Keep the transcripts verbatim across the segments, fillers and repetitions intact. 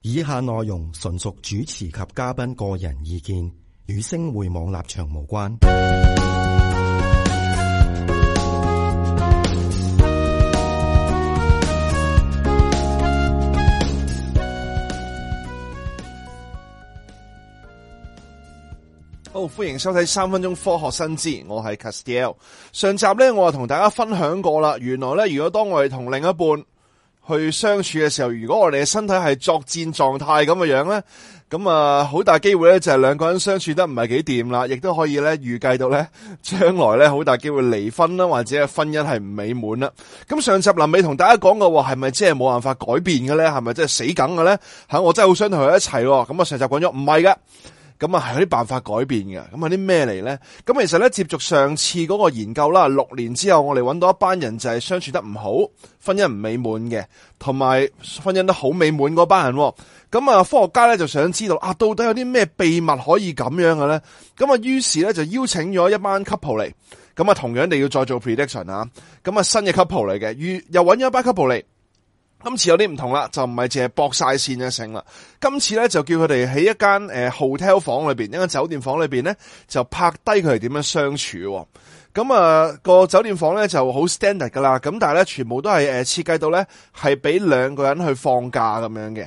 以下內容純屬主持及嘉賓個人意見，與星匯網立場無關。好，歡迎收睇三分鐘科學新知，我係 Castiel。上集咧，我就同大家分享過啦。原來咧，如果當我哋同另一半去相處嘅時候，如果我哋嘅身體係作戰狀態咁嘅樣咧，咁啊好大機會咧就係兩個人相處得唔係幾掂啦，亦都可以咧預計到咧將來咧好大機會離婚啦，或者係婚姻係唔美滿啦。咁上集臨尾同大家講嘅話係咪即係冇辦法改變嘅咧？係咪即係死梗嘅咧？吓，我真係好想同佢一齊。咁啊上集講咗唔係噶。咁啊，係有啲辦法改變嘅。咁係啲咩嚟咧？咁其實咧，接續上次嗰個研究啦，六年之後我哋揾到一班人就係相處得唔好，婚姻唔美滿嘅，同埋婚姻都好美滿嗰班人。咁啊，科學家咧就想知道啊，到底有啲咩秘密可以咁樣嘅咧？咁啊，於是咧就邀請咗一班 couple 嚟，咁啊，同樣地要再做 prediction 啊。咁啊，新嘅 couple 嚟嘅，於又揾咗一班 couple 嚟。今次有啲唔同啦，就唔係淨係駁晒線嘅成啦。今次咧就叫佢哋喺一間誒 hotel 房裏邊，一間酒店房裏邊咧就拍低佢哋點樣相處。咁啊個酒店房咧就好 standard 噶啦，咁但係咧全部都係誒設計到咧係俾兩個人去放假咁樣嘅。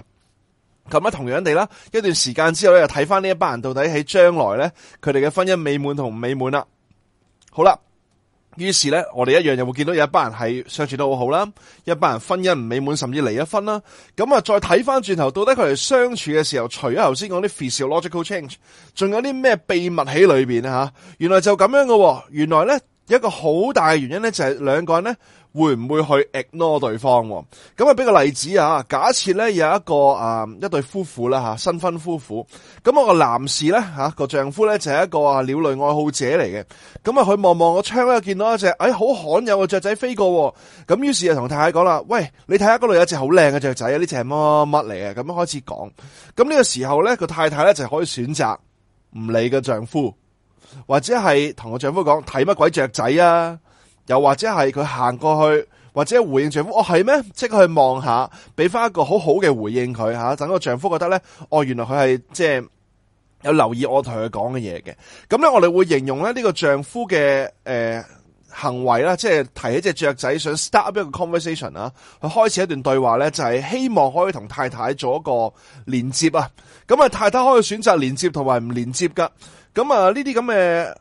咁啊同樣地啦，一段時間之後咧就睇翻呢一班人到底喺將來咧佢哋嘅婚姻美滿同唔美滿啦。好啦。於是咧，我哋一樣又會見到有一班人係相處得好好啦，一班人婚姻唔美滿甚至離咗婚啦。咁啊，再睇翻轉頭，到底佢哋相處嘅時候，除咗頭先講啲 physiological change，仲有啲咩秘密喺裏邊啊？吓，原來就咁樣嘅。原來咧一個好大嘅原因咧，就係兩個人咧會唔會去 ignore 對方？咁啊，俾個例子啊，假設咧有一個啊一對夫婦啦吓，新婚夫婦。咁我個男士咧吓個丈夫咧就係一個啊鳥類愛好者嚟嘅。咁啊，佢望望個窗咧，見到一隻誒好罕有嘅雀仔飛過。咁於是就同太太講啦：，喂，你睇下嗰度有一隻好靚嘅雀仔啊！呢隻係乜乜嚟嘅？咁樣開始講。咁呢個時候咧，個太太咧就可以選擇唔理個丈夫，或者係同個丈夫講睇乜鬼雀仔啊！又或者係佢行過去，或者回應丈夫，哦係咩？即係去望下，俾翻一個好好嘅回應佢吓，等個丈夫覺得咧，哦原來佢係即係有留意我同佢講嘅嘢嘅。咁咧我哋會形容咧呢個丈夫嘅誒、呃、行為啦，即係提起隻雀仔想 start up 一個 conversation 啊，去開始一段對話咧，就係希望可以同太太做一個連接啊。咁啊太太可以選擇連接同埋唔連接噶。咁啊呢啲咁嘅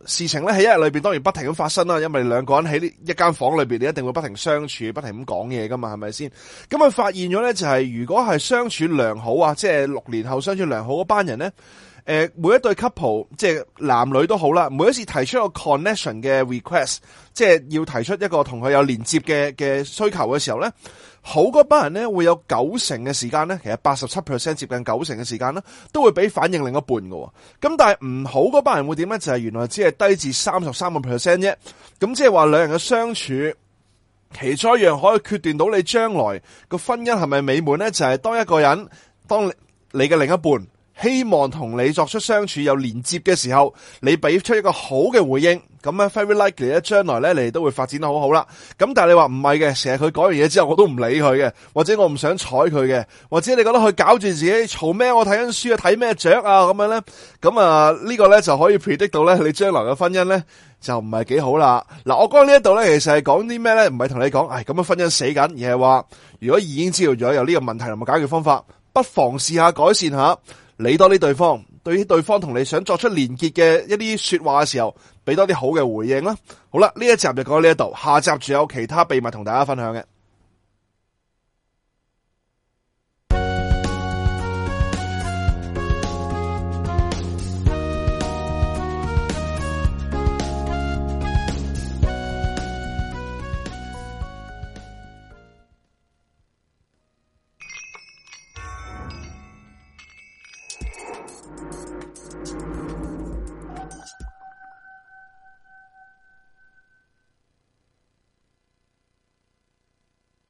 事情咧喺一日裏邊當然不停咁發生啦，因為兩個人喺呢一間房裏邊，你一定會不停相處，不停咁講嘢噶嘛，係咪先？咁啊發現咗咧就係、是、如果係相處良好啊，即係六年後相處良好嗰班人咧，誒、呃、每一對 couple 即係男女都好啦，每一次提出一個 connection 嘅 request， 即係要提出一個同佢有連接嘅嘅需求嘅時候咧，好嗰班人咧會有九成嘅時間咧，其實八十七 percent 接近九成嘅時間啦，都會俾反應另一半嘅。咁但係唔好嗰班人會點咧？就係、是、原來只係低至三十三個 percent 啫。咁即係話兩人嘅相處，其中一樣可以決斷到你將來個婚姻係咪美滿咧？就係、是、當一個人，當你嘅另一半希望同你作出相處有連接嘅時候，你俾出一個好嘅回應，咁咧 very likely 咧，將來咧你哋都會發展得好好啦。咁但係你話唔係嘅，成日佢講完嘢之後我都唔理佢嘅，或者我唔想睬佢嘅，或者你覺得佢搞住自己嘈咩？我睇緊書啊，睇咩雀啊咁樣咧，咁啊呢個咧就可以 predict 到咧你將來嘅婚姻咧就唔係幾好啦。嗱，我講呢一度咧，其實係講啲咩咧？唔係同你講，唉咁樣婚姻死緊，而係話如果已經知道咗有呢個問題同埋解決方法，不妨試下改善下。理多啲對方，對於對方同你想作出連結嘅一啲說話嘅時候，俾多啲好嘅回應啦。好啦，呢一集就講到呢一度，下集仲有其他秘密同大家分享嘅。